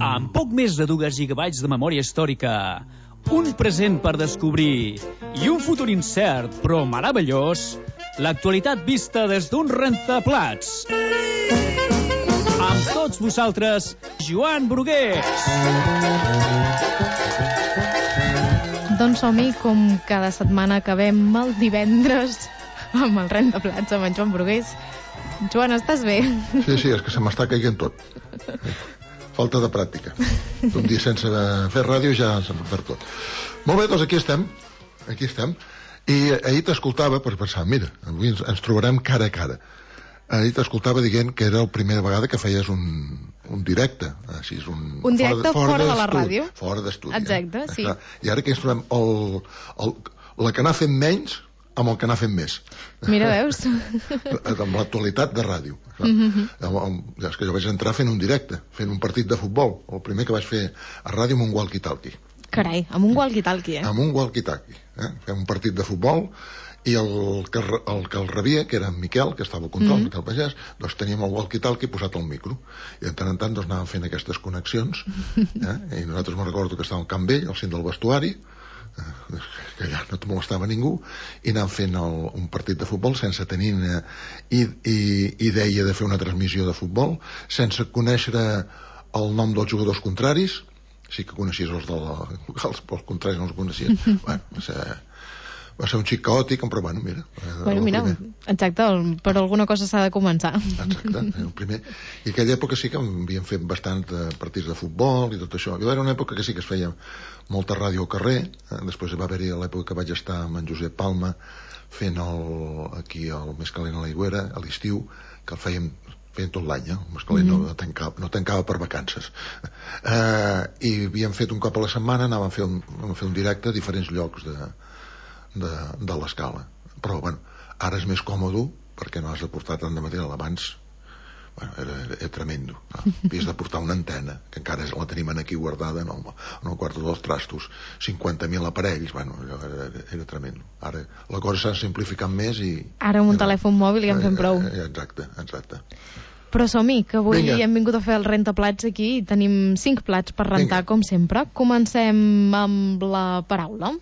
Amb poc més de 2 gigabytes de memòria històrica, un present per descobrir i un futur incert però meravellós, l'actualitat vista des d'un rentaplats. Amb tots vosaltres, Joan Brugués. Doncs som-hi, com cada setmana acabem el divendres amb el rentaplats amb en Joan Brugués. Joan, estàs bé? Sí, és que se m'està caient tot. Falta de pràctica. Un dia sense fer ràdio ja se m'ha perd tot. Molt bé, doncs aquí estem. I ahir t'escoltava per pensar, mira, avui ens trobarem cara a cara. Ahir t'escoltava dient que era la primera vegada que feies un directe. Així és un directe fora de la ràdio. Fora d'estudi. Exacte, sí. I ara que ens trobem la que n'ha fet menys amb el que n'ha fet més. Mira, veus? Amb l'actualitat de ràdio. És que jo vaig entrar fent un directe, fent un partit de futbol. El primer que vaig fer a ràdio amb un walkie-talkie. Carai, amb un walkie-talkie, Amb un walkie-talkie. Fem un partit de futbol i el que el rebia, que era en Miquel, que estava al control, Miquel Pagès, doncs teníem el walkie-talkie posat al micro. I de tant en tant doncs, anàvem fent aquestes connexions. I nosaltres me'n recordo que estàvem al camp vell, al cim del vestuari, que ja no et molestava ningú, i anàvem fent un partit de futbol sense tenir idea de fer una transmissió de futbol, sense conèixer el nom dels jugadors contraris. Sí que coneixies els locals, però els contraris no els coneixies. Va ser un xic caòtic, però mira. Mira, exacte, per alguna cosa s'ha de començar. Exacte, el primer. I aquella època sí que havíem fet bastant partits de futbol i tot això. I era una època que sí que es feia molta ràdio al carrer. Després va haver-hi l'època que vaig estar amb en Josep Palma fent aquí el Més calent a l'Aigüera, a l'estiu, que el feien tot l'any, el Més calent no tancava per vacances. I havíem fet un cop a la setmana, anàvem a fer un directe a diferents llocs de l'escala. Però, ara és més còmode perquè no has de portar tant de material. Abans, era tremendo. Havies de portar una antena, que encara la tenim aquí guardada en el quarto dels trastos. 50.000 aparells, era tremendo. Ara la cosa s'ha simplificat més i... Ara amb un telèfon mòbil ja en fem prou. Exacte. Però som-hi, que avui hem vingut a fer el rentaplats aquí i tenim 5 plats per rentar, com sempre. Comencem amb la paraula.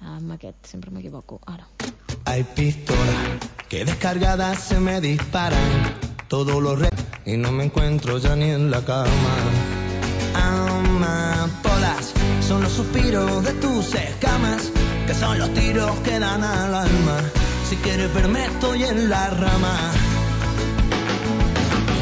Amb aquest, sempre m'equivoco. Ara. Hay pistolas que descargadas se me disparan todos los y no me encuentro ya ni en la cama. Amapolas son los suspiros de tus escamas, que son los tiros que dan al alma. Si quieres verme estoy en la rama.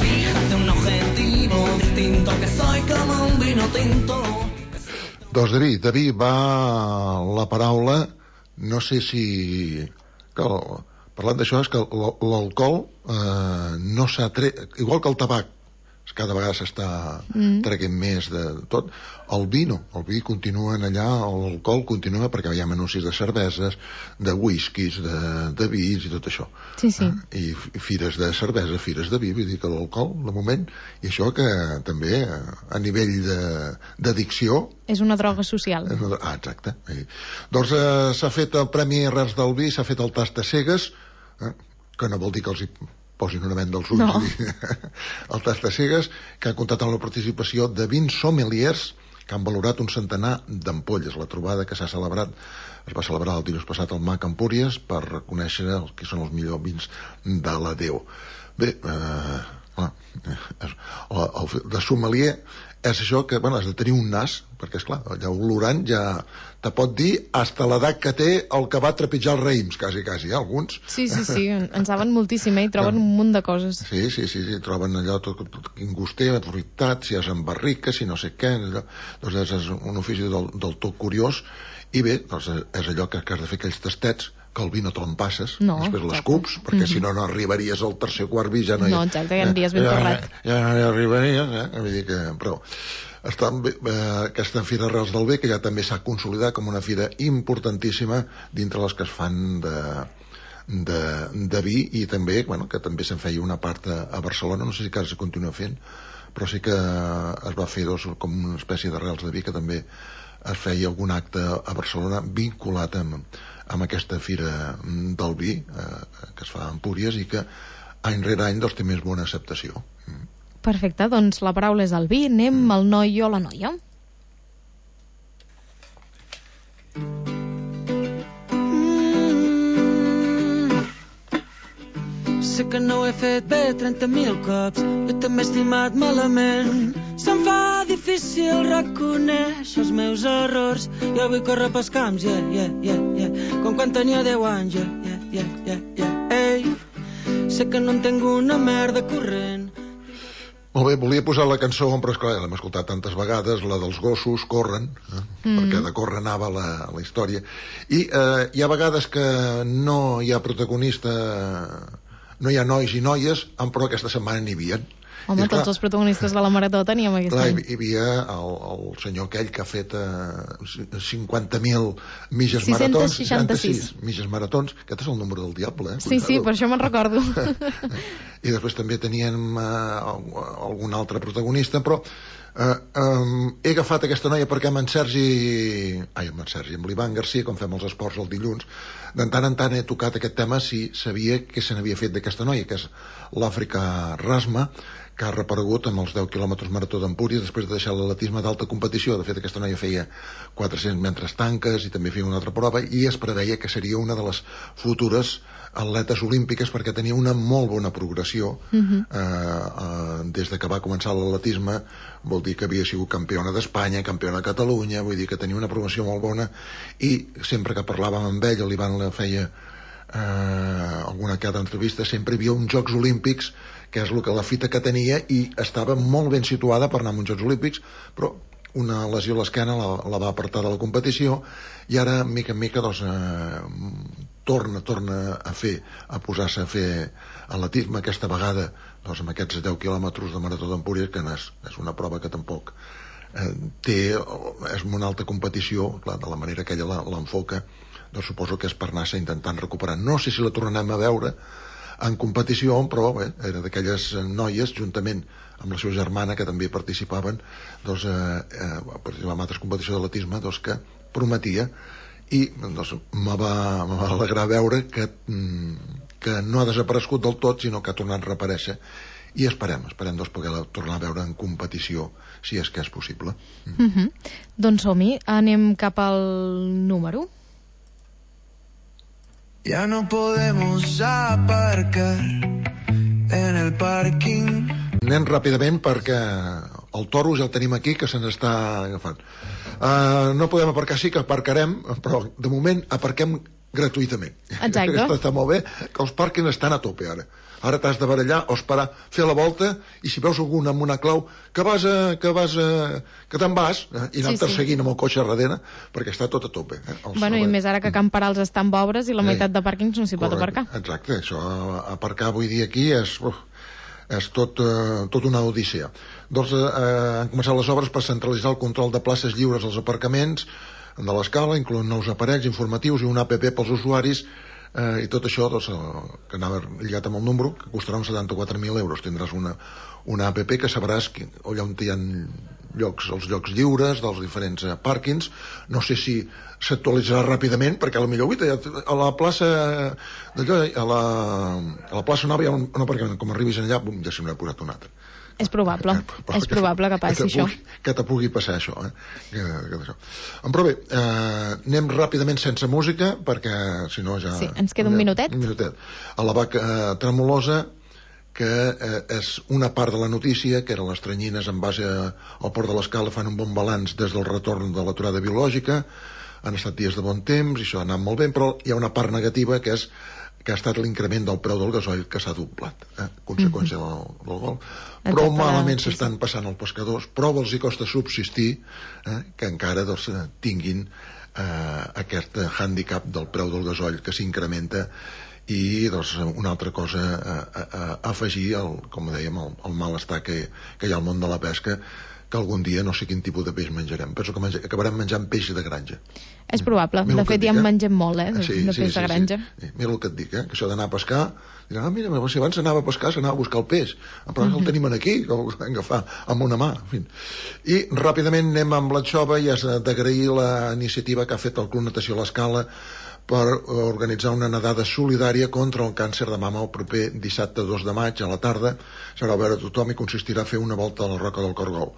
Fíjate un objetivo distinto, que soy como un vino tinto. Doncs David va la paraula, no sé si... Parlant d'això, és que l'alcohol no s'ha tret... Igual que el tabac, cada vegada s'està traient més de tot. El vi continua allà, l'alcohol continua perquè hi ha anuncis de cerveses, de whiskies, de vins i tot això. Sí. I fires de cervesa, fires de vi, vull dir que l'alcohol, de moment, i això que també a nivell d'addicció... És una droga social. Exacte. Doncs s'ha fet el Premi Arrels del Vi, s'ha fet el tast de cegues, que no vol dir que els hi posin una venda als ulls. No. El tast de cegues, que ha comptat amb la participació de 20 sommeliers que han valorat un centenar d'ampolles. La trobada que s'ha celebrat es va celebrar el dilluns passat al MAC Empúries per reconèixer els que són els millors vins de la Déu. Bé, de sommelier és això que, has de tenir un nas, perquè, esclar, allà olorant ja te pot dir hasta l'edat que té el que va trepitjar els raïms, quasi, alguns. Sí, en saben moltíssim, i troben un munt de coses. Sí, troben allò tot inguster, fruitat, si és en barrica, si no sé què, doncs és un ofici del tot curiós, i bé, doncs és allò que has de fer aquells tastets, que el vi no te'l passes, després l'escups, perquè si no arribaries al tercer quart vi, ja no hi... No, exacte, ja envies ben torrat. Ja no hi arribaries, vull dir que... Però està bé, aquesta Fira Arrels del Vi, que ja també s'ha consolidat com una fira importantíssima dintre les que es fan de vi, i també, que també se'n feia una part a Barcelona, no sé si encara se continua fent, però sí que es va fer com una espècie d'arrels de vi, que també es feia algun acte a Barcelona vinculat amb aquesta fira del vi que es fa a Empúries i que any rere any té més bona acceptació. Perfecte, doncs la paraula és el vi. Anem al noi o la noia. Sé que no ho he fet bé 30.000 cops, jo també he estimat malament. Se'm fa difícil reconèixer els meus errors. Jo vull córrer pels camps, com quan tenia 10 anys, Ei, sé que no entenc una merda corrent. Molt bé, volia posar la cançó, però esclar, l'hem escoltat tantes vegades, la dels gossos corren, perquè de córrer anava la història. I hi ha vegades que no hi ha protagonista, no hi ha nois i noies, però aquesta setmana n'hi havia. Home, tots els protagonistes de la Marató teníem aquest any. Hi havia el senyor aquell que ha fet 50.000 mitges maratons. 666 mitges maratons. Aquest és el número del diable, Sí, per això me'n recordo. I després també teníem algun altre protagonista, però he agafat aquesta noia perquè amb l'Ivan Garcia, com fem els esports el dilluns, de tant en tant he tocat aquest tema si sabia què se n'havia fet d'aquesta noia, que és l'Àfrica Rasma, que ha reparegut amb els 10 quilòmetres marató d'Empúries després de deixar l'atletisme d'alta competició. De fet, aquesta noia feia 400 metres tanques i també feia una altra prova, i es preveia que seria una de les futures atletes olímpiques perquè tenia una molt bona progressió. Des de que va començar l'atletisme, vol dir que havia sigut campiona d'Espanya, campiona de Catalunya, vull dir que tenia una progressió molt bona, i sempre que parlàvem amb ell, l'Ivan la feia alguna que altra entrevista, sempre hi havia uns Jocs Olímpics, que és la fita que tenia, i estava molt ben situada per anar a uns Jocs Olímpics, però una lesió a l'esquena la va apartar de la competició, i ara mica en mica torna a posar-se a fer atletisme, aquesta vegada amb aquests 10 quilòmetres de marató d'Empúries, que és una prova que tampoc és una alta competició, clar, de la manera que ella l'enfoca, doncs suposo que és per anar-se intentant recuperar. No sé si la tornarem a veure en competició, però bé, era d'aquelles noies, juntament amb la seva germana, que també participaven, participar en altres competicions d'atletisme, que prometia, i me va alegrar veure que no ha desaparegut del tot, sinó que ha tornat a reaparèixer, i esperem poder tornar a veure en competició, si és que és possible. Doncs som-hi, anem cap al número. Ya no podemos aparcar en el parking. Anem ràpidament perquè el toro ja el tenim aquí, que se n'està agafant. No podem aparcar, sí que aparcarem, però de moment aparquem gratuïtament. Exacte. Està molt bé, que els pàrquings estan a tope ara. Ara t'has de barallar o esperar, fer la volta, i si veus algun amb una clau, que te'n vas, i anar-te seguint amb el cotxe darrere, perquè està tot a tope. I més ara que Can Parals està amb obres i la meitat de pàrquings no s'hi pot aparcar. Exacte, això, aparcar avui dia aquí és tot una odissea. Doncs han començat les obres per centralitzar el control de places lliures als aparcaments de l'escala, incloent nous aparells informatius i una app pels usuaris, i tot això que anava lligat amb el número, que costarà uns 74.000 euros. Tindràs una app que sabràs allà on hi ha els llocs lliures dels diferents pàrquings. No sé si s'actualitzarà ràpidament, perquè potser a la plaça a la plaça Nova hi ha un aparcament, com arribis allà ja se n'ha posat un altre. És probable que passi això. Que te pugui passar això. Però bé, anem ràpidament sense música, perquè si no ja... Sí, ens queda un minutet. A la vaca tremolosa, que és una part de la notícia, que eren les tranyines en base al Port de l'Escala, fan un bon balanç des del retorn de l'aturada biològica, han estat dies de bon temps, i això ha anat molt bé, però hi ha una part negativa, que ha estat l'increment del preu del gasoil, que s'ha doblat, conseqüència del gol. Prou malament s'estan passant els pescadors, prou els hi costa subsistir, que encara tinguin aquest hàndicap del preu del gasoil que s'incrementa. I una altra cosa a afegir, com dèiem, el malestar que hi ha al món de la pesca, que algun dia no sé quin tipus de peix menjarem. Penso que acabarem menjant peix de granja. És probable, de fet ja en mengem molt, de peix de granja. Mira el que et dic, que això d'anar a pescar, mira, si abans s'anava a pescar s'anava a buscar el peix, però el tenim aquí, que ho hem d'agafar amb una mà. I ràpidament anem amb l'anxova, i has d'agrair la iniciativa que ha fet el Club Natació a l'Escala per organitzar una nedada solidària contra el càncer de mama el proper dissabte 2 de maig a la tarda. Serà obert a tothom i consistirà a fer una volta a la Roca del Cargol.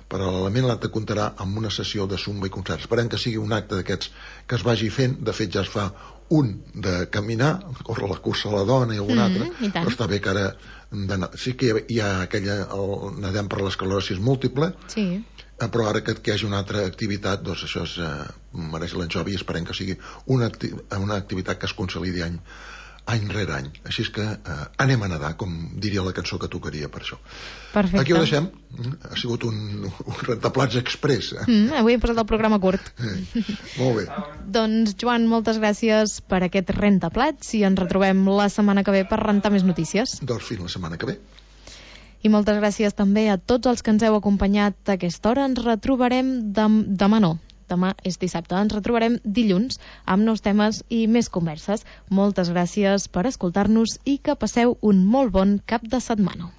Paral·lelament, l'acte comptarà amb una sessió de zumba i concerts. Esperem que sigui un acte d'aquests que es vagi fent. De fet, ja es fa un de caminar, córrer la cursa a la dona i algun altre, però està bé que ara sí que hi ha aquella nedem per l'esclerosi múltiple, sí, però ara que hi hagi una altra activitat, doncs això mereix l'enjovi i esperem que sigui una activitat que es consolidi any rere any. Així és que anem a nedar, com diria la cançó que tocaria per això. Perfecte. Aquí ho deixem. Ha sigut un rentaplats express. Avui hem posat el programa curt. Molt bé. Doncs, Joan, moltes gràcies per aquest rentaplats i ens retrobem la setmana que ve per rentar més notícies. Doncs fins la setmana que ve. I moltes gràcies també a tots els que ens heu acompanyat a aquesta hora. Ens retrobarem demà és dissabte. Ens retrobarem dilluns amb nous temes i més converses. Moltes gràcies per escoltar-nos i que passeu un molt bon cap de setmana.